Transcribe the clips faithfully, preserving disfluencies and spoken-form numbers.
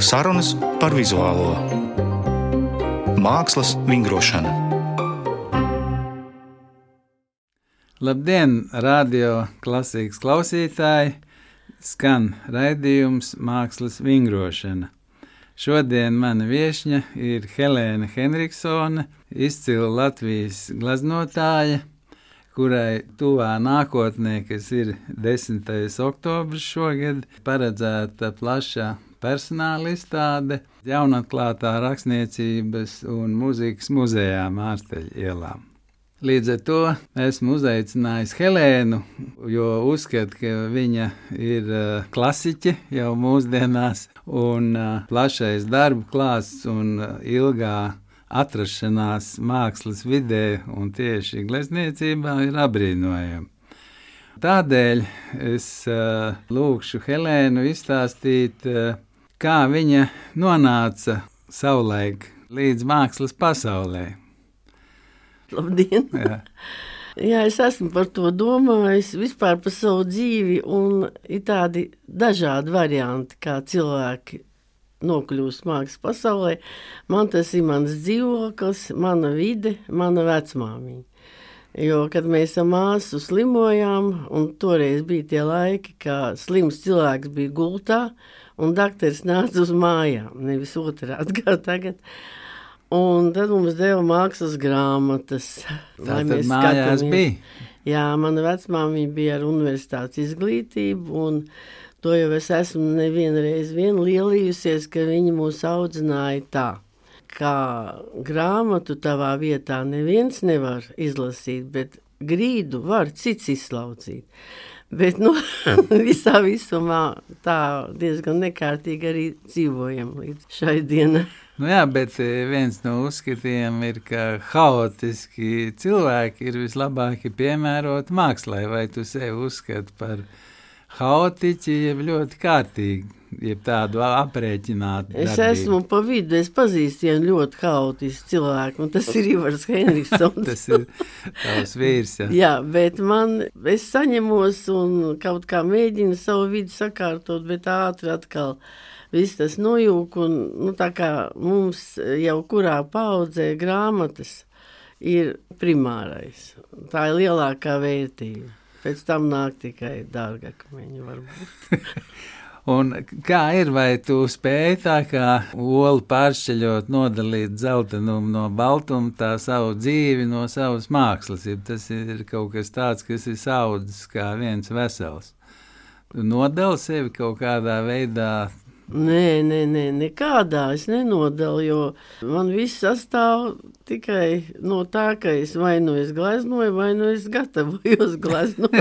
Sarunas par vizuālo mākslas vingrošanu. Labdien, radio Klasikas klausītāji! Skan raidījums Mākslas vingrošana. Šodien mana viešņa ir Helēna Henriksone, izcila Latvijas gleznotāja, kurai tuvā nākotnē, kas ir desmitais oktobris šogad, paredzēta plaša personāla izstāde jaunatklātā rakstniecības un mūzikas muzejā Mārsteļa ielā. Līdz ar to esmu uzaicinājis Helēnu, jo uzskatu, ka viņa ir uh, klasiķe jau mūsdienās, un uh, plašais darbu klāsts un uh, ilgā atrašanās mākslas vidē un tieši glezniecībā ir apbrīnojama. Tādēļ es uh, lūkšu Helēnu izstāstīt, uh, kā viņa nonāca savulaik līdz mākslas pasaulē. Labdien! Jā. Jā, es esmu par to domājis vispār par savu dzīvi, un ir tādi dažādi varianti, kā cilvēki nokļūst mākslas pasaulē. Man tas ir mans dzīvoklis, mana vide, mana vecmāmiņa. Jo, kad mēs ar māsu slimojām, un toreiz bija tie laiki, kā slims cilvēks bija gultā, un dakteris nāca uz mājām, nevis otrādi kā tagad. Un tad mums deva mākslas grāmatas. Tā tad mājās bija? Jā, mana vecmāmiņa bija ar universitātes izglītību, un to jau es esmu nevienreiz vien lielījusies, ka viņi mūs audzināja tā, kā grāmatu tavā vietā neviens nevar izlasīt, bet grīdu var cits izslaucīt. Bet, nu, visā visumā tā diezgan nekārtīgi arī dzīvojam līdz šai dienai. Nu jā, bet viens no uzskatiem ir, ka haotiski cilvēki ir vislabāki piemērot mākslai. Vai tu sevi uzskati par haotiķi, jeb ļoti kārtīgi, jeb tādu aprēķinātu Es darbību? esmu pa vidu, es pazīstu vienu ļoti haotisku cilvēku, un tas ir Ivars Henriksons. Tas ir tavs vīrs, jā. Jā, bet man, es saņemos un kaut kā mēģinu savu vidi sakārtot, bet ātri atkal viss tas nojūk, un nu, tā kā mums jau kurā paudzē grāmatas ir primārais. Tā ir lielākā vērtība. Pēc tam nāk tikai dārgakmeņi varbūt. Un kā ir, vai tu spēji tā kā olu pāršķeļot, nodalīt zeltenumu no baltuma, tā savu dzīvi no savas mākslas? Tas ir kaut kas tāds, kas ir saudzis kā viens vesels. Tu nodali sevi kaut kādā veidā? Nē, nē, nē, nekādā es nenodalu, jo man viss sastāv tikai no tā, ka es vai nu es gleznoju, vai nu es gatavojos gleznot.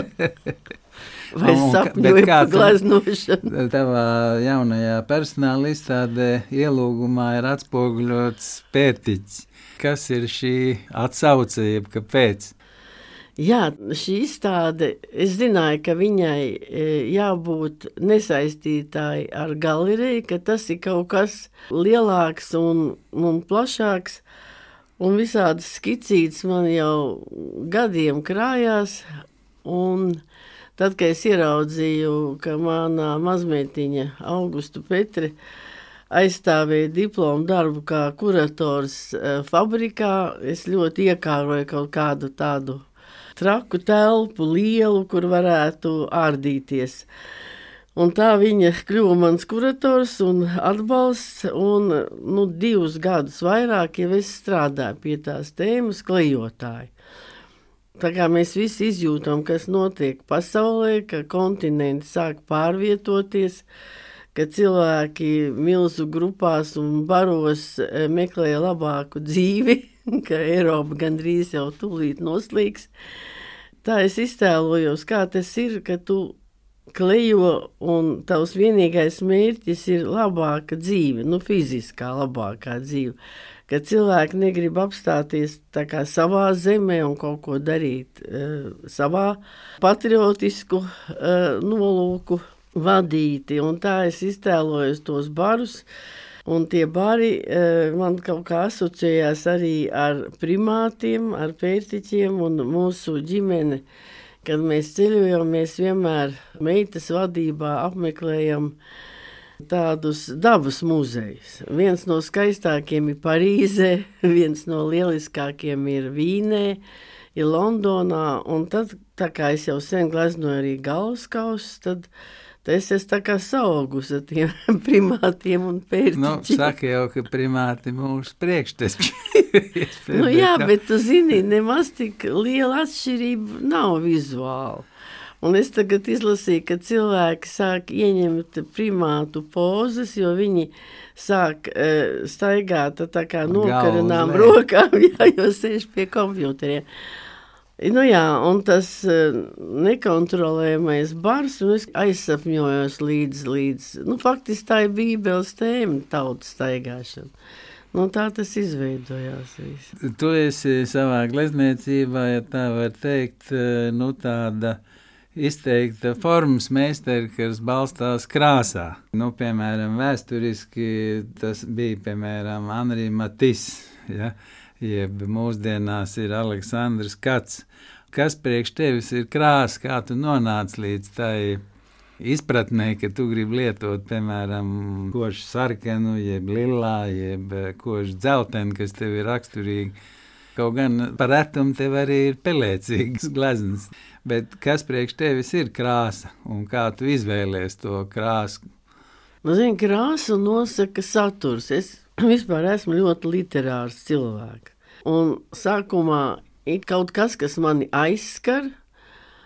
Vai sapņoju par gleznošanu. Tavā jaunajā personāla izstādē ielūgumā ir atspoguļots pērtiķis. Kas ir šī atsaucība, kāpēc? Jā, šī izstāde, es zināju, ka viņai jābūt nesaistītāji ar galeriju, ka tas ir kaut kas lielāks un, un plašāks, un visādas skicītes man jau gadiem krājās, un tad, kad es ieraudzīju, ka manā mazmeitiņa Augustu Petri aizstāvēja diplomu darbu kā kurators fabrikā, es ļoti iekāroju kaut kādu tādu traku telpu, lielu, kur varētu ārdīties. Un tā viņa kļuva mans kurators un atbalsts, un nu, divus gadus vairāk jau es strādāju pie tās tēmas klejotāji. Tā kā mēs visi izjūtam, kas notiek pasaulē, ka kontinenti sāk pārvietoties, ka cilvēki milzu grupās un baros meklē labāku dzīvi, ka Eiropa gandrīz jau tūlīt noslīgs. Tā es iztēlojos, kā tas ir, ka tu klejo un tavs vienīgais mērķis ir labāka dzīve, nu fiziskā labākā dzīve. Ka cilvēki negrib apstāties tā kā savā zemē un kaut ko darīt uh, savā patriotisku uh, nolūku vadīti. Un tā es iztēlojos tos barus. Un tie bari man kaut kā asociējās arī ar primātiem, ar pērtiķiem un mūsu ģimene. Kad mēs ceļojam, mēs vienmēr meitas vadībā apmeklējam tādus dabas muzejus. Viens no skaistākiem ir Parīzē, viens no lieliskākiem ir Vīnē, ir Londonā, un tad, tā kā es jau sen gleznoju arī galvaskausus, tad es esmu tā kā saugus ar tiem primātiem un pērtiķiem. Nu, saka jau, ka primāti mūsu priekšteči. Nu jā, bet tu zini, nemaz tik liela atšķirība nav vizuāli. Un es tagad izlasīju, ka cilvēki sāk ieņemt primātu pozas, jo viņi sāk uh, staigāt tā kā nokarinām rokām, jā, jo sēž pie kompjuteriem. Nu jā, un tas uh, nekontrolējamais bars, un es aizsapņojos līdz, līdz, nu faktiski tā ir bībeles tēma, tautas staigāšana. Nu tā tas izveidojās viss. Tu esi savā glezniecībā, ja tā var teikt, nu tāda izteikta formas meistari, kas balstās krāsā. Nu, piemēram, vēsturiski tas bija, piemēram, Henri Matisse, ja? Jeb mūsdienās ir Aleksandrs Kats. Kas priekš tevis ir krāsa, kā tu nonāc līdz tai izpratnē, ka tu gribi lietot, piemēram, košu sarkanu, jeb lilā, jeb košu dzeltenu, kas tev ir raksturīgi. Kaut gan par retumu tev arī ir pelēcīgas gleznas. Bet kas priekš tevis ir krāsa un kā tu izvēlies to krāsu? Nu, zini, krāsu nosaka saturs. Es vispār esmu ļoti literārs cilvēks. Un sākumā ir kaut kas, kas mani aizskar,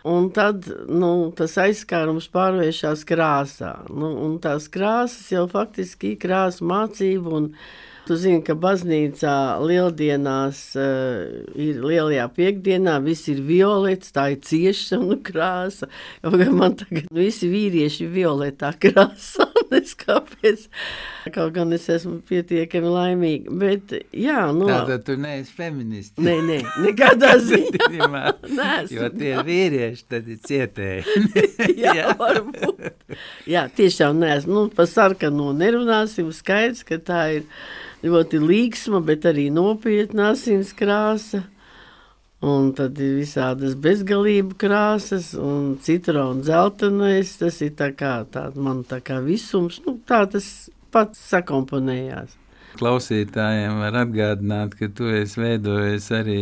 un tad nu, tas aizskārums pārvēršas krāsā. Nu, un tās krāsas jau faktiski ir krāsa mācība, un tu zini, ka baznīcā lieldienās uh, ir lielajā piekdienā, viss ir violets, tā ir ciešana krāsa. Man tagad visi vīrieši ir violetā krāsā, nes kāpēc. Kaut gan es esmu pietiekami laimīga, bet jā, nu... Tātad tu neesi feministi. Nē, nē, nekādā ziņā. Jo tie ir vīrieši, tad ir cietēji. jā, jā, varbūt. Jā, tiešām neesmu. Nu, par sarkano nerunāsim, skaidrs, ka tā ir ļoti līgsma, bet arī nopietna asins krāsa. Un tad ir visādas bezgalību krāsas un citronu dzeltenais. Tas ir tā kā, tā, man tā kā visums. Nu, tā tas pats sakomponējās. Klausītājiem var atgādināt, ka tu esi veidojis arī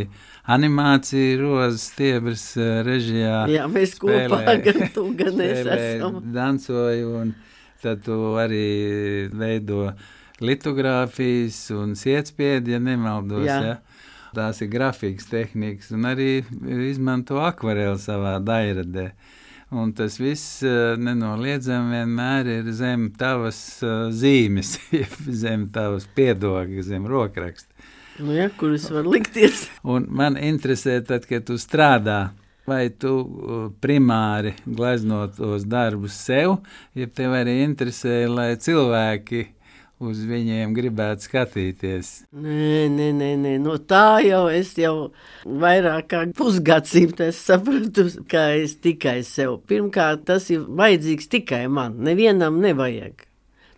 animāciju Rozes Stiebras režijā. Jā, mēs spēlē, kopā gan tu, gan es esam. Dancoju, un tad tu arī veido litogrāfijas un sietspiedi, ja nemaldos, jā. Ja? Tās ir grafikas tehnikas, un arī izmanto akvareli savā dairadē. Un tas viss nenoliedzami vienmēr ir zem tavas zīmes, zem tavas piedoga, zem rokraksta. Nu jā, kuras var likties. Un man interesē tad, kad tu strādā, vai tu primāri gleznot tos darbus sev, ja tev arī interesē, lai cilvēki uz viņiem gribētu skatīties. Nē, nē, nē, nē. No tā jau es jau vairāk kā pusgadsimtu es sapratu, ka es tikai sev. Pirmkārt, tas ir vajadzīgs tikai man. Nevienam nevajag.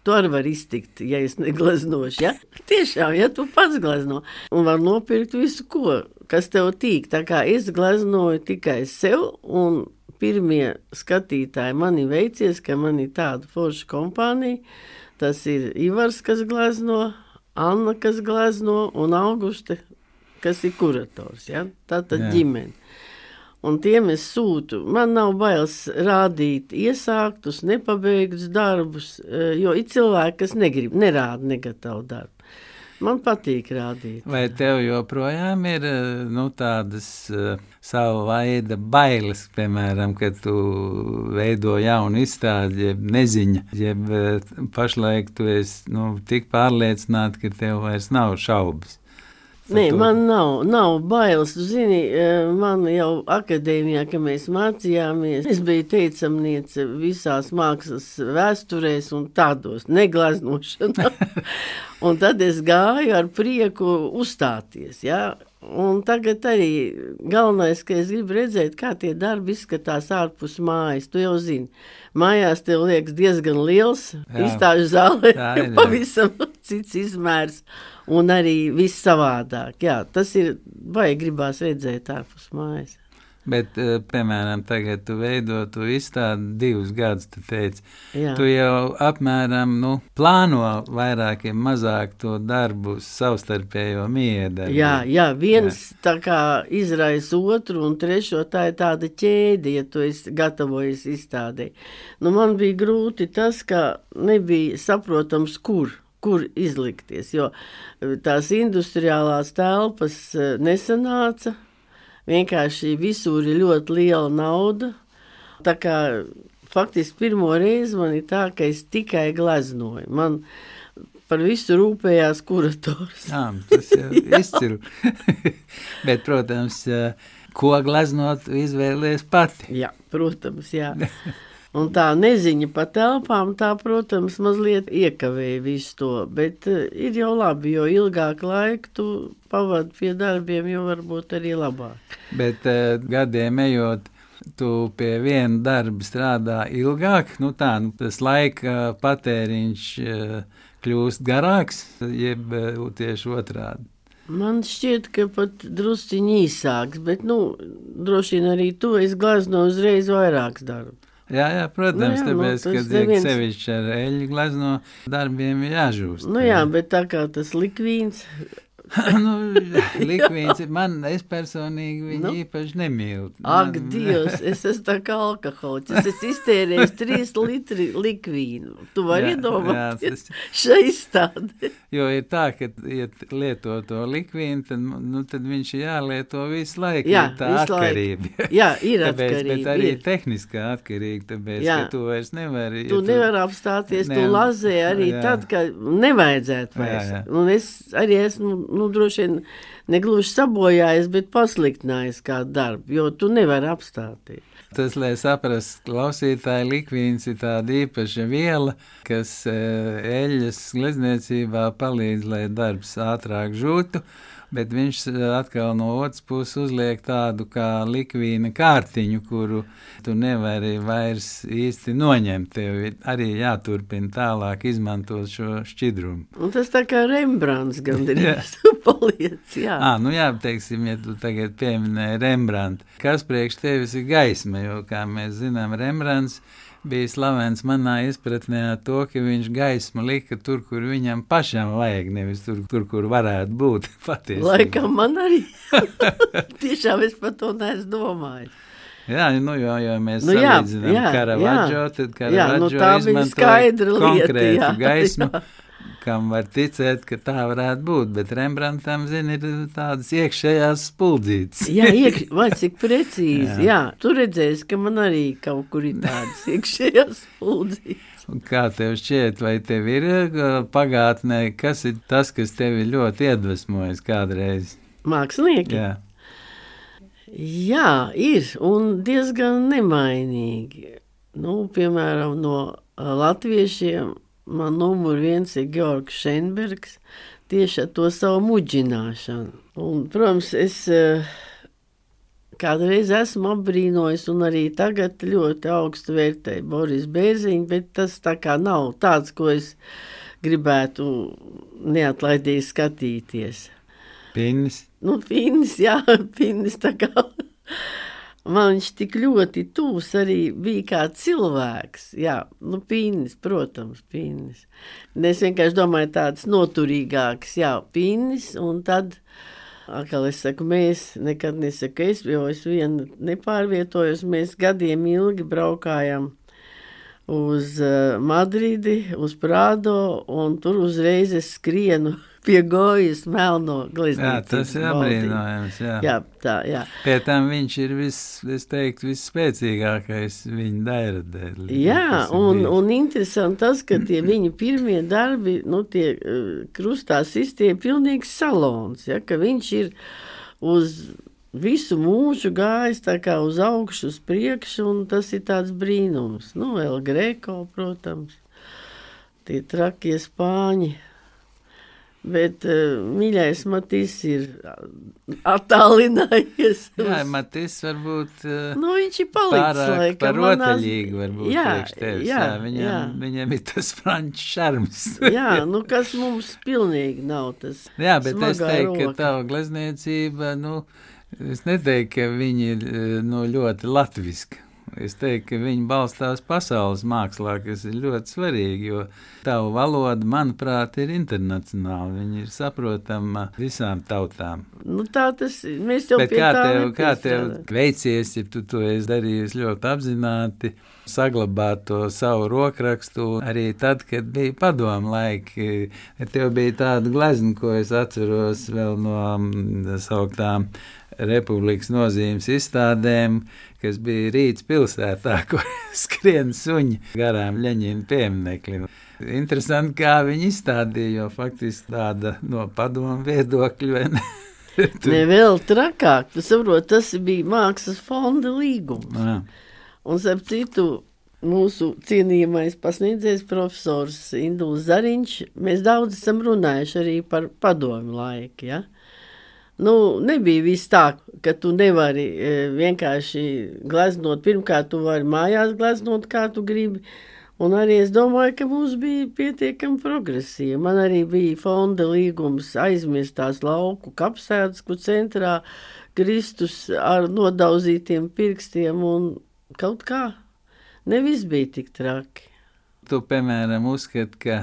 Tu arī var iztikt, ja es negleznošu, ja? Tiešām, ja tu pats glezno. Un var nopirkt visu, ko, kas tev tīk. Tā kā es gleznoju tikai sev, un pirmie skatītāji man ir veicies, ka man ir tāda forša kompānija. Tas ir Ivars, kas glezno, Anna, kas glezno, un Auguste, kas ir kurators. Ja? Tātad Jā. Ģimene. Un tiem es sūtu. Man nav bailes rādīt iesāktus, nepabeigtus darbus, jo ir cilvēki, kas negrib, nerāda negatavu darbu. Man patīk rādīt. Vai tev joprojām ir nu, tādas uh, savu veida bailes, piemēram, kad tu veido jaunu izstādi, jeb neziņa, jeb uh, pašlaik tu esi nu, tik pārliecināta, ka tev vairs nav šaubas? Nē, man nav, nav bailes. Tu zini, man jau akadēmijā, kad mēs mācījāmies, es biju teicamniece visās mākslas vēsturēs un tādos negleznošanā. Un tad es gāju ar prieku uzstāties, jā. Un tagad arī galvenais, ka es gribu redzēt, kā tie darbi izskatās ārpus mājas. Tu jau zini, mājās tev liekas diezgan liels, izstāžu zālē, pavisam cits izmērs. Un arī viss savādāk. Jā, tas ir, vai gribās redzēt ārpus mājas. Bet, piemēram, tagad tu veido, tu izstādi divus gadus, tu teici, Jā. tu jau apmēram, nu, plāno vairākiem mazāk to darbu savstarpējo miedarbu. Jā, jā, viens jā. Tā kā izraisa otru un trešo, tā ir tāda ķēde, ja tu esi gatavojies izstādē. Nu, man bija grūti tas, ka nebija saprotams, kur. kur izlikties, jo tās industriālās telpas nesanāca, vienkārši visur ir ļoti liela nauda, tā kā faktiski pirmo reizi man ir tā, ka es tikai gleznoju, man par visu rūpējās kurators. Jā, tas jau izciru. Bet, protams, ko gleznot izvēlies pati. Jā, protams, jā. Un tā neziņa pa telpām, tā, protams, mazliet iekavēja visu to, bet uh, ir jau labi, jo ilgāk laiku tu pavadi pie darbiem, jo varbūt arī labāk. Bet uh, gadiem ejot, tu pie viena darba strādā ilgāk, nu tā, nu, tas laika patēriņš uh, kļūst garāks, jeb uh, tieši otrādi. Man šķiet, ka pat drusciņi īsāks, bet, nu, droši vien arī tu esi glezno uzreiz vairāks darbs. Jā, jā, protams, nu, jā, tāpēc, nu, kad neviens... sevišķi ar eļļu glezno darbiem ir jāžūst. Nu jā, bet tā kā tas likvīns... nu, likvīns, man, es personīgi viņu nu? īpaši nemīlu. Ak, man... Dievs, es esmu tā kā alkoholiķis, es esmu iztērējis trīs litri likvīnu. Tu vari iedomāties tas... šai izstādi. Jo ir tā, ka, ja lieto to likvīnu, tad, nu, tad viņš jālieto visu laiku. Jā, tā visu atkarība. Laiku. Jā, ir tāpēc, atkarība. Bet arī ir. tehniskā atkarība, tāpēc, jā. ka tu vairs nevari... Tu ja tu... nevari apstāties, ne... tu lazē arī jā. Tad, ka nevajadzētu vairs. Jā, jā. Un es arī esmu... Nu, droši vien negluži sabojājies, bet pasliktinājies kādu darbu, jo tu nevari apstāties. Tas, lai saprast, klausītāji, likvīns ir tāda īpaša viela, kas eļļas glezniecībā palīdz, lai darbs ātrāk žūtu, bet viņš atkal no otras puses uzliek tādu kā likvīna kārtiņu, kuru tu nevari vairs īsti noņemt. Tev arī jāturpina tālāk izmantot šo šķidrumu. Un tas tā kā Rembrandts gandrīz paliec, jā. Ā, nu jā, teiksim, ja tu tagad pieminēji Rembrandtu, kas priekš tevis ir gaisma, jo, kā mēs zinām, Rembrandts bija slavens manā izpratnē to, ka viņš gaismu lika tur, kur viņam pašam vajag, nevis tur, tur kur varētu būt patiesībā. Laikam man arī. Tiešām es par to neesmu domājis. Jā, nu, jo, jo mēs nu, jā, salīdzinām jā, Caravaggio, jā. tad Caravaggio nu, izmantoja konkrētu jā, gaismu, jā. kam var ticēt, ka tā varētu būt, bet Rembrandtam, zini, ir tādas iekšējās spuldzītes. jā, iekš... vai cik precīzi, jā. jā. Tu redzēsi, ka man arī kaut kur ir tādas iekšējās spuldzītes. Un kā tev šķiet, vai tev ir pagātnē, kas ir tas, kas tevi ļoti iedvesmojas kādreiz? Mākslinieki? Jā. Jā, ir, un diezgan nemainīgi. Nu, piemēram, no latviešiem man numur viens ir Georgs Šenbergs, tieši ar to savu muģināšanu. Un, protams, es kādreiz esmu apbrīnojis un arī tagad ļoti augstu vērtēju Boris Bērziņu, bet tas tā kā nav tāds, ko es gribētu neatlaidīgi skatīties. Pinnis? Nu, Pinnis, jā, Pinnis tā kā... Man viņš tik ļoti tūs arī bija kā cilvēks. Jā, nu, Pinnis, protams, Pinnis. Es vienkārši domāju tāds noturīgāks, jā, Pinnis, un tad, atkal es saku, mēs, nekad nesaku es, jo es vienu nepārvietojos, mēs gadiem ilgi braukājam uz uh, Madridi, uz Prādo, un tur uzreiz es skrienu pie Gojas melno glezniecības. Jā, tas ir apbrīnojams, jā. Jā, tā, jā. Pie tam viņš ir vis, es teiktu, visspēcīgākais viņa dairadē. Jā, un, un interesanti tas, ka tie viņa pirmie darbi, nu, tie uh, krustā sistie pilnīgs salons, ja, ka viņš ir uz visu mūžu gājis tā kā uz augšu, uz priekšu, un tas ir tāds brīnums. Nu, El Greco, protams, tie trakie spāņi. Bet uh, mīļais Matis ir attālinājies. Jā, Matis varbūt uh, nu, viņš ir palicis pārāk par rotaļīgi varbūt jā, priekš tevis. Jā, jā, viņam, jā. viņam ir tas franču šarms. jā, nu kas mums pilnīgi nav tas jā, bet es teiktu, roka. ka tava glezniecība, nu, Es neteiktu, ka viņi ir no ļoti latviski. Es teiktu, ka viņi balstās pasaules mākslā, kas ir ļoti svarīgi, jo tavu valoda, manuprāt, ir internacionāla. Viņi ir saprotama visām tautām. Nu, tā tas ir. Mēs jau Bet pie kā tā tev, kā tev nepiestrādājam. veicies, ja tu to esi darījis ļoti apzināti, saglabāt to savu rokrakstu arī tad, kad bija padomu laiki. Tev bija tāda glezna, ko es atceros vēl no mm, sauktām Republikas nozīmes izstādēm, kas bija Rīgas pilsētā, kur skrien suņi garām Ļeņina piemineklim. Interesanti, kā viņi izstādīja, jo faktiski tāda no padomu viedokļa, vai ne? Ne vēl trakāk, tu saproti, tas bija mākslas fonda līgums. Jā. Un, starp citu, mūsu cienījamais pasniedzējs profesors Induls Zariņš, mēs daudz esam runājuši arī par padomu laiku, ja? Nu, nebija viss tā, ka tu nevari e, vienkārši gleznot. Pirmkārt, tu vari mājās gleznot, kā tu gribi. Un arī es domāju, ka mums bija pietiekami progresīva. Man arī bija fonda līgums aizmirstās lauku kapsētas, kur centrā Kristus ar nodauzītiem pirkstiem un kaut kā. Ne viss bija tik traki. Tu, piemēram, uzskati, ka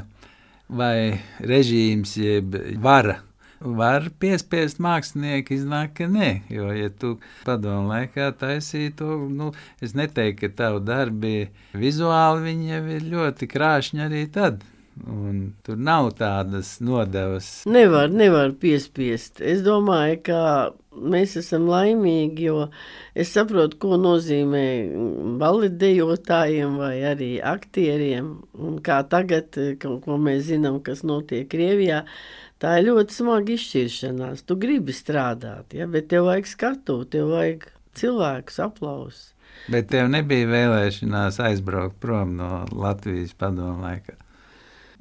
vai režīms jeb vara var piespiest mākslinieku, iznāk, ka nē, jo, ja tu padomu laikā taisīji to, nu, es neteiktu, ka tavu darbi vizuāli viņi jau ir ļoti krāšņi arī tad, un tur nav tādas nodevas. Nevar, nevar piespiest. Es domāju, ka mēs esam laimīgi, jo es saprotu, ko nozīmē baletdejotājiem vai arī aktieriem, un kā tagad, ko, ko mēs zinām, kas notiek Krievijā. Tā ir ļoti smaga izšķiršanās. Tu gribi strādāt, ja? Bet tev vajag skatu, tev vajag cilvēkus aplausus. Bet tev nebija vēlēšanās aizbraukt prom no Latvijas padomu laikā?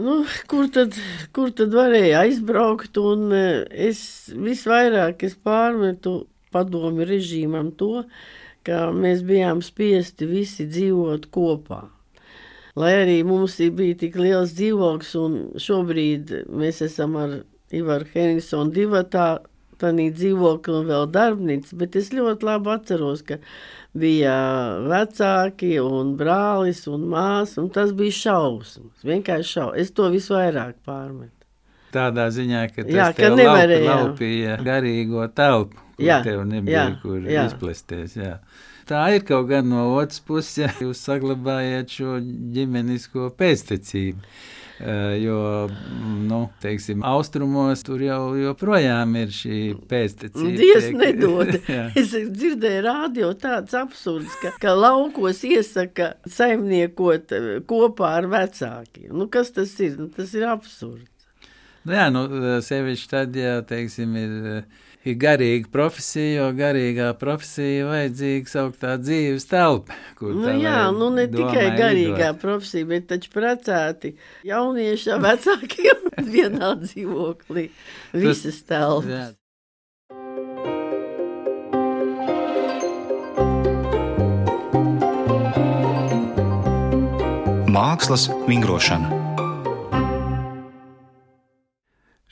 Nu, kur tad, kur tad varēja aizbraukt? Un es visvairāk es pārmetu padomu režīmam to, ka mēs bijām spiesti visi dzīvot kopā. Lai arī mums bija tik liels dzīvoklis, un šobrīd mēs esam ar Ivaru Henriksonu divatā, tādā dzīvokli un vēl darbnīca, bet es ļoti labi atceros, ka bija vecāki un brālis un māsa, un tas bija šausmas, vienkārši šausmas. Es to visvairāk pārmetu. Tādā ziņā, ka tas Jā, ka tev nevarēja. laupi, laupīja garīgo telpu, kur Jā, tev nebija, jā, kur jā. izplesties, jā. Tā ir kaut gan no otras puses, ja jūs saglabājat šo ģimenisko pēctecību, jo, nu, teiksim, austrumos tur jau joprojām ir šī pēctecība. Dievs nedod. Es dzirdēju rādio tāds absurds, ka, ka laukos iesaka saimniekot kopā ar vecākiem. Nu, kas tas ir? Nu, tas ir absurds. Nu, jā, nu, sevišķi tad, ja, teiksim, ir... ir garīga profesija, jo garīgā profesija vajadzīga sauktā dzīves telpa. Nu jā, nu ne tikai garīgā lidot. Profesija, bet taču precēti jaunieši ar vecākiem vienā dzīvoklī. Visas telpas. Mākslas vingrošana.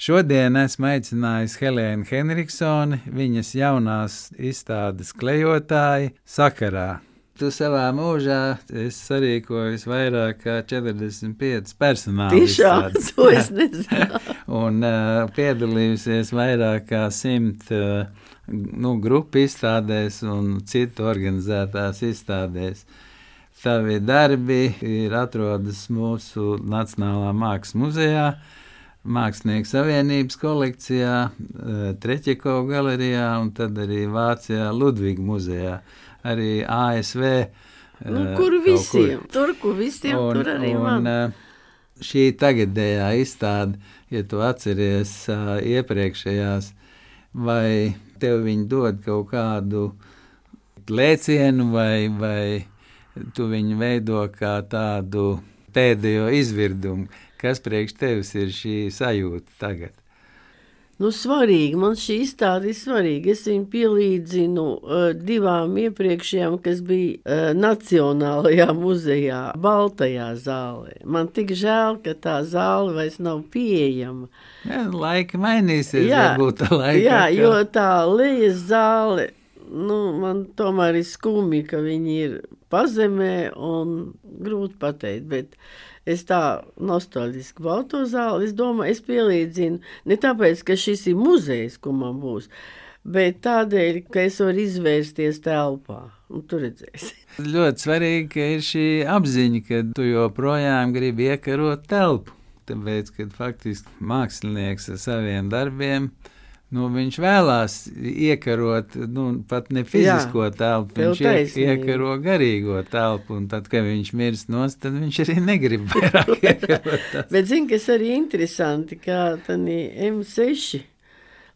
Šodien esmu aicinājis Helēnu Henriksoni, viņas jaunās izstādes klejotāji sakarā. Tu savā mūžā esi sarīkojis vairāk kā četrdesmit piecas personāla izstādes. Tiešām, to es nezinu. Un uh, piedalījusies vairāk kā simt uh, nu, grupu izstādēs un citu organizētās izstādēs. Tavi darbi ir atrodas mūsu Nacionālā mākslas muzejā, Mākslinieku savienības kolekcijā, Treķekova galerijā un tad arī Vācijā Ludviga muzejā, arī A S V. Nu, kur visiem? Kur. Tur, kur visiem, un, tur arī un, man. Un šī tagadējā izstāde, ja tu atceries iepriekšējās, vai tev viņi dod kaut kādu lēcienu vai, vai tu viņu veido kā tādu pēdējo izvirdumu? Kas priekš tevis ir šī sajūta tagad? Nu, svarīgi, man šī izstāde ir svarīga. Es viņu pielīdzinu uh, divām iepriekšējām, kas bija uh, Nacionālajā muzejā, Baltajā zālē. Man tik žēl, ka tā zāle vairs nav pieejama. Jā, laika mainīsies, jā, varbūt tā laika. Jā, kā... jo tā lejas zāle, nu, man tomēr ir skumji, ka viņi ir pazemē un grūti pateikt, bet es tā nostalģiski baudu to zāli. Es domāju, es pielīdzinu ne tāpēc, ka šis ir muzejs, ko man būs, bet tādēļ, ka es varu izvērsties telpā. Un tu redzēsi. Ļoti svarīgi, ka ir šī apziņa, ka tu joprojām gribi iekarot telpu. Tāpēc, kad faktiski mākslinieks ar saviem darbiem, nu, viņš vēlās iekarot, nu, pat ne fizisko Jā, telpu, viņš iek, iekaro garīgo telpu, un tad, kad viņš mirst nost, tad viņš arī negrib vairāk iekarot tās. Bet zini, kas arī interesanti, kā tani M seši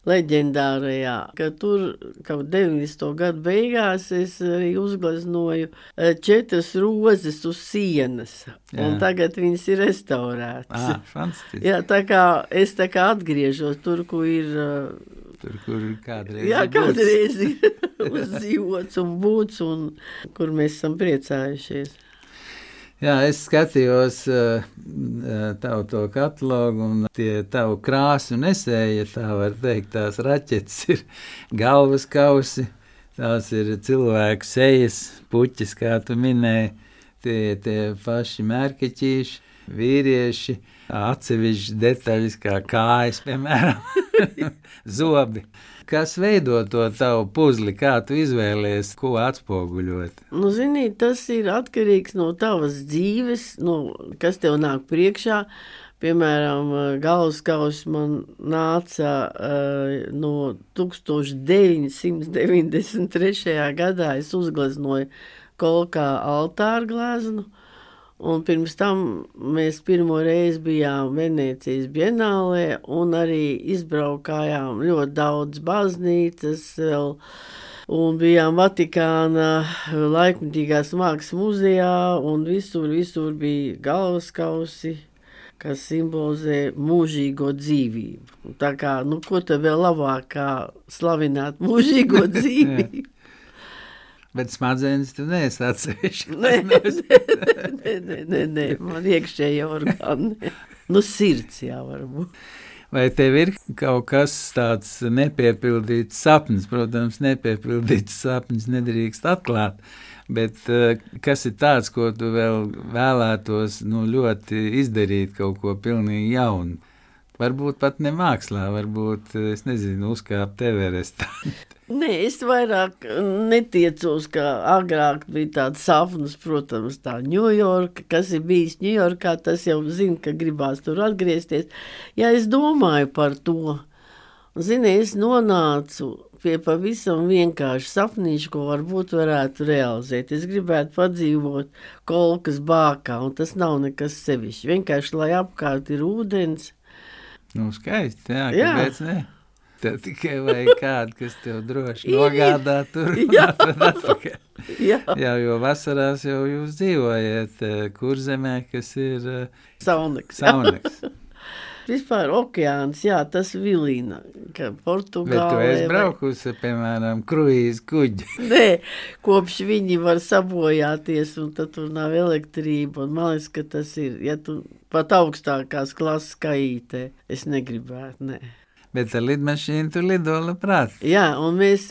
leģendārajā, ka tur kaut deviņdesmito gadu beigās es arī uzgleznoju četras rozes uz sienas, Jā. Un tagad viņas ir restaurētas. Ah, fantastiski. Jā, tā kā es tā kā atgriežos tur, kur ir... Tur, kur kādreiz Jā, ir kādreiz ir uzdzīvots un būts, un kur mēs esam priecājušies. Jā, es skatījos uh, tavu to katalogu, un tie tavu krāsu nesēja, tā var teikt, tās raķetes ir galvas kausi, tās ir cilvēku sejas, puķis, kā tu minēji, tie, tie paši mērkeķīši, vīrieši, atsevišķi detaļas kā kājas, piemēram, zobi. Kas veido to tavu puzli, kā tu izvēlies, ko atspoguļot? Nu, zini, tas ir atkarīgs no tavas dzīves, no, kas tev nāk priekšā. Piemēram, galvaskaus man nāca uh, no tūkstoš deviņsimt deviņdesmit trešajā gadā. Es uzgleznoju kolkā altāru gleznu. Un pirms tam mēs pirmo reizi bijām Venēcijas bienālē un arī izbraukājām ļoti daudz baznīcas vēl, un bijām Vatikāna laikmatīgās mākslas muzejā, un visur, visur bija galvaskausi, kas simbolizē mūžīgo dzīvību. Tā kā, nu, ko te vēl labāk kā slavināt mūžīgo dzīvību? Bet smadzenes tu neesi atsevišķi. Nē, nē, nē, nē, nē, man iekšēja orgāni. Nu, sirds jā, varbūt. Vai tev ir kaut kas tāds nepiepildīts sapnis? Protams, nepiepildīts sapnis nedrīkst atklāt, bet kas ir tāds, ko tu vēl vēlētos, nu, ļoti izdarīt kaut ko pilnīgi jaunu? Varbūt pat ne mākslā, varbūt, es nezinu, uzkāpt Everestā. Nē, es vairāk netiecos, ka agrāk bija tāds sapnis, protams, tā Ņujorka, kas ir bijis Ņujorkā, tas jau zina, ka gribās tur atgriezties. Jā, es domāju par to. Zini, es nonācu pie pavisam vienkārši sapnīšu, ko varbūt varētu realizēt. Es gribētu padzīvot kolkas bākā, un tas nav nekas sevišķi. Vienkārši, lai apkārt ir ūdens. Nu, skaisti, jā, jā. Kāpēc ne? Tev tikai vajag kādu, kas tev droši nogādā tur un jā. atvad atpakaļ. Jā. jā, jo vasarās jau jūs dzīvojat Kurzemē, kas ir Sauneks. Sauneks. Vispār okeāns, jā, tas vilina, ka Portugālē... Bet tu esi braukusi, piemēram, kruīz kuģi. Nē, kopš viņi var sabojāties, un tad tur nav elektrība, un man liekas, ka tas ir, ja tu pat augstākās klases kaītē, es negribētu, nē. Bet ar lidmašīnu tu lido labprāt. Jā, un mēs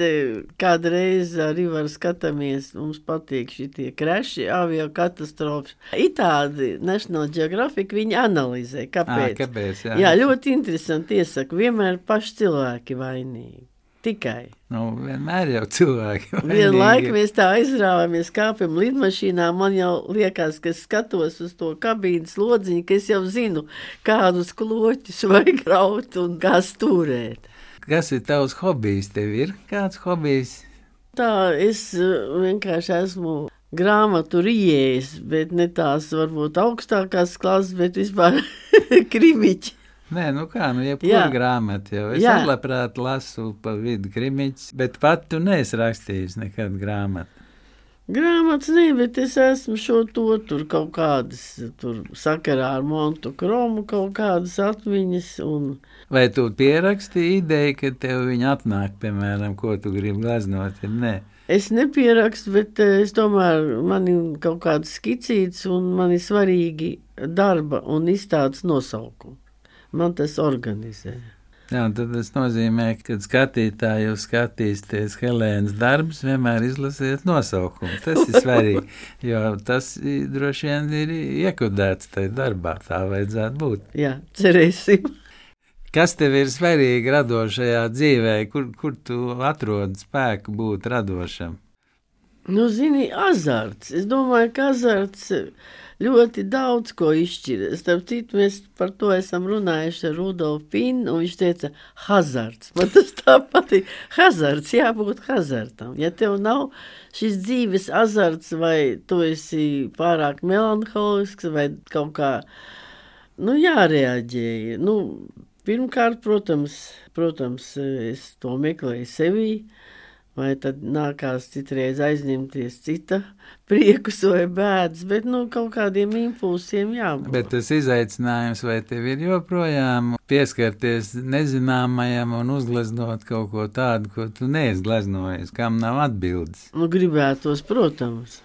kādreiz arī var skatāmies, mums patīk šitie kreši, avio katastrofas. Itādi National Geographic viņi analizē, kāpēc. À, kāpēc, jā. Jā, ļoti interesanti iesaka, vienmēr paši cilvēki vainīgi. Tikai. Nu, vienmēr jau cilvēki vainīgi. Vienlaik mēs tā aizrāvamies, kāpjam lidmašīnā, man jau liekas, ka es skatos uz to kabīnes lodziņu, ka es jau zinu, kādus kloķus vajag raut un kā stūrēt. Kas ir tavs hobijs? Tev ir kāds hobijs? Tā, es vienkārši esmu grāmatu rijējis, bet ne tās varbūt augstākās klases, bet vispār krimiķi. Nē, nu kā, nu jebkur grāmata jau. Es Jā. labprāt lasu pa vidu krimiķis, bet pat tu neesi rakstījis nekad grāmatu. Grāmatas ne, bet es esmu šo to tur kaut kādas, tur sakarā ar Montu Kromu kaut kādas atmiņas. Un... Vai tu pierakstīji ideju, ka tev viņa atnāk, piemēram, ko tu gribi gleznot, ja nē? Es nepierakstu, bet es domāju, man ir kaut kāds skicīts un man ir svarīgi darba un izstādes nosaukumi. Man tas organizē. Jā, tad tas nozīmē, ka skatītāji jau skatīsties Helēnas darbus, vienmēr izlasiet nosaukumu. Tas ir svarīgi, jo tas droši vien ir iekodēts tajā darbā, tā vajadzētu būt. Jā, cerēsim. Kas tev ir svarīgi radošajā dzīvē, kur, kur tu atrodi spēku būt radošam? Nu, zini, azarts. Es domāju, ka azarts ļoti daudz ko izšķir. Starp citu, mēs par to esam runājuši ar Rudolfu Pinu, un viņš teica, hazards. Man tas tā patīk. Hazards, jābūt hazardam. Ja tev nav šis dzīves azarts, vai tu esi pārāk melanholisks, vai kaut kā, nu, jārēģēja. Nu, pirmkārt, protams, protams, es to meklēju sevī, vai tad nākās citreiz aizņemties cita priekus vai bēdas, bet nu, kaut kādiem impulsiem jābūt. Bet tas izaicinājums, vai tev ir joprojām pieskarties nezināmajam un uzgleznot kaut ko tādu, ko tu neesi gleznojies, kam nav atbildes? Nu, gribētos, protams.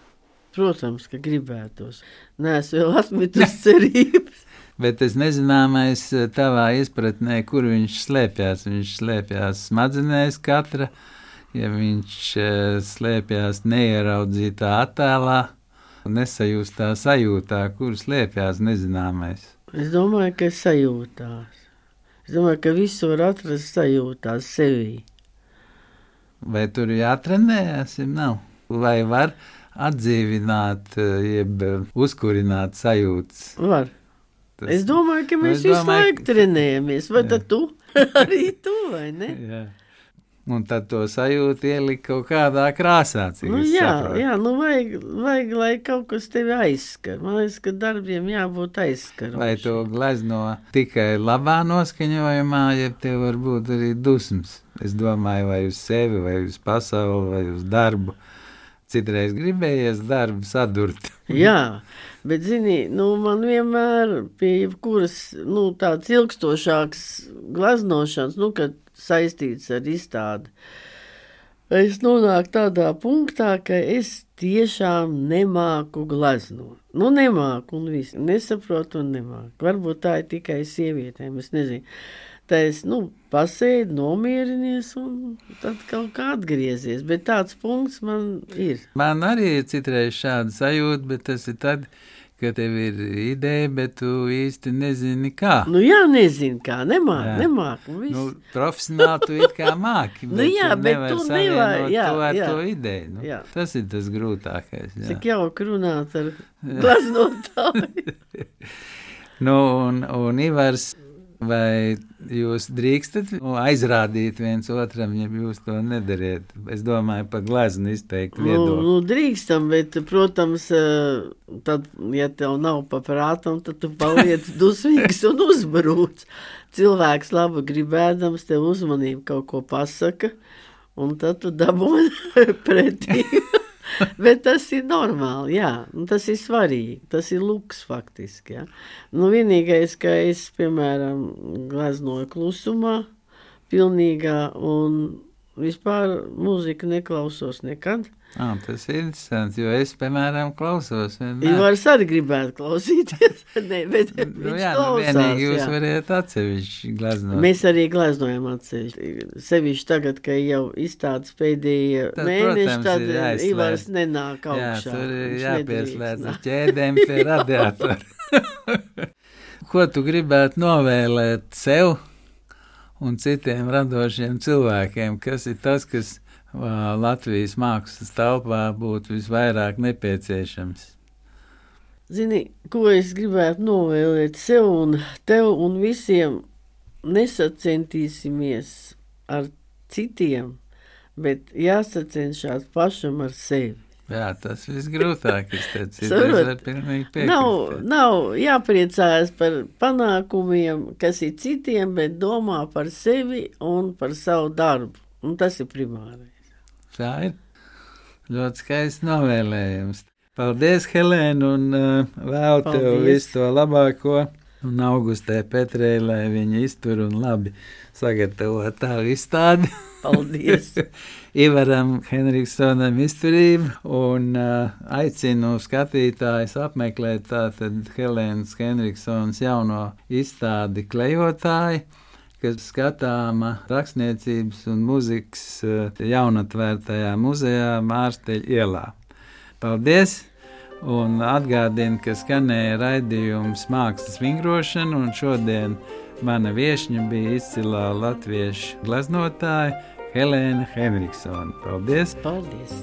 Protams, ka gribētos. Nē, es vēl atmetus cerības. Bet tas nezināmais tavā izpratnē, kur viņš slēpjās. Viņš slēpjās smadzenēs katra, ja viņš slēpjās neieraudzītā attēlā, nesajūstā sajūtā, kur slēpjās nezināmais. Es domāju, ka sajūtās. Es domāju, ka visu var atrast sajūtās sevī. Vai tur jātrenējas, ja nav? Vai var atdzīvināt, jeb uzkurināt sajūtas? Var. Tas, es domāju, ka mēs es domāju, visu laiku trenējamies. Vai jā. Tad tu? Arī tu, vai ne? Jā. Un tad to sajūtu ielikt kaut kādā krāsā, cik nu, es jā, saprotu. Jā, nu vajag, vajag, lai kaut kas tevi aizskar. Man liekas, ka darbiem jābūt aizskarošiem. Vai to glezno tikai labā noskaņojumā, ja tev var būt arī dusmas? Es domāju, vai uz sevi, vai uz pasauli, vai uz darbu. Citreiz gribējies darbu sadurt. Jā, bet, zini, nu, man vienmēr pie jebkuras, nu, tāds ilgstošāks gleznošanas, nu, kad saistīts ar izstādi, es nonāku tādā punktā, ka es tiešām nemāku gleznot. Nu, nemāku un viss. Nesaprotu un nemāku. Varbūt tā ir tikai sievietēm, es nezinu. Tā es, nu, pasēdu, nomierinies un tad kaut kā atgriezies. Bet tāds punkts man ir. Man arī ir citreiz šāda sajūta, bet tas ir tad, ka tev ir ideja, bet tu īsti nezini kā. Nu jā, nezinu kā, nemāk, nemāk. Nu, profesionāli tu it kā māki, bet nu jā, tu bet nevar tu savienot nevar, jā, to ar jā, to ideju. Nu, jā. Tas ir tas grūtākais. Jā. Cik jauki runāt ar gleznotāju. Nu, un, un Ivars, vai jūs drīkstat aizrādīt viens otram, ja jūs to nedariet? Es domāju, pa gleznu izteikti viedokli. Nu, nu, drīkstam, bet, protams, tad, ja tev nav pa prātam, tad tu paliec dusmīgs un uzbrūc. Cilvēks labi gribēdams tev uzmanību kaut ko pasaka, un tad tu dabūni pretī. Bet tas ir normāli, jā, un tas ir svarīgi, tas ir luks faktiski, jā. Nu, vienīgais, ka es, piemēram, gleznoju klusumā, pilnīgā, un vispār mūziku neklausos nekad. Ah, tas ir interesanti, jo es, piemēram, klausos. Ivars arī gribētu klausīties, ne, bet nu, viņš jā, klausās. Nu, vienīgi jūs jā. Variet atsevišķi gleznot. Mēs arī gleznojam atsevišķi. Sevišķi tagad, ka jau izstādes pēdējie tad, mēneši, protams, tad Ivars nenāk augšā. Jā, tur ir jāpieslēdz ķēdēm pie radiatora. Ko tu gribētu novēlēt sev un citiem radošiem cilvēkiem? Kas ir tas, kas Latvijas mākslas telpā būtu visvairāk nepieciešams? Zini, ko es gribētu novēlēt sev un tev un visiem? Nesacentīsimies ar citiem, bet jāsacenšās pašam ar sevi. Jā, tas visgrūtākais. nav, nav jāpriecājas par panākumiem, kas ir citiem, bet domā par sevi un par savu darbu. Un tas ir primārais. Tā ir Ļoti skaists novēlējums. Paldies, Helēna, un uh, vēl tev Paldies. visu to labāko. Un Augustē Petrē, lai viņa iztur un labi sagatavo tā izstādi. Paldies! Ivaram Henriksonam izturību un uh, aicinu skatītājus apmeklēt tātad Helēnas Henriksonas jauno izstādi Klejotāji, kas skatāma rakstniecības un muzikas uh, jaunatvērtajā muzejā Mārsteļa ielā. Paldies! Un atgādinu, ka skanēja raidījums Mākslas vingrošana, un šodien mana viešņa bija izcilā latviešu gleznotāja Helēna Henriksone. Paldies! Paldies!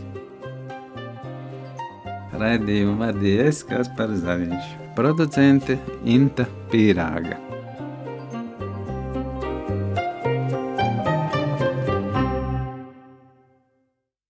Raidījumu vadīja es, Kaspars Zaviņš, producente Inta Pīrāga.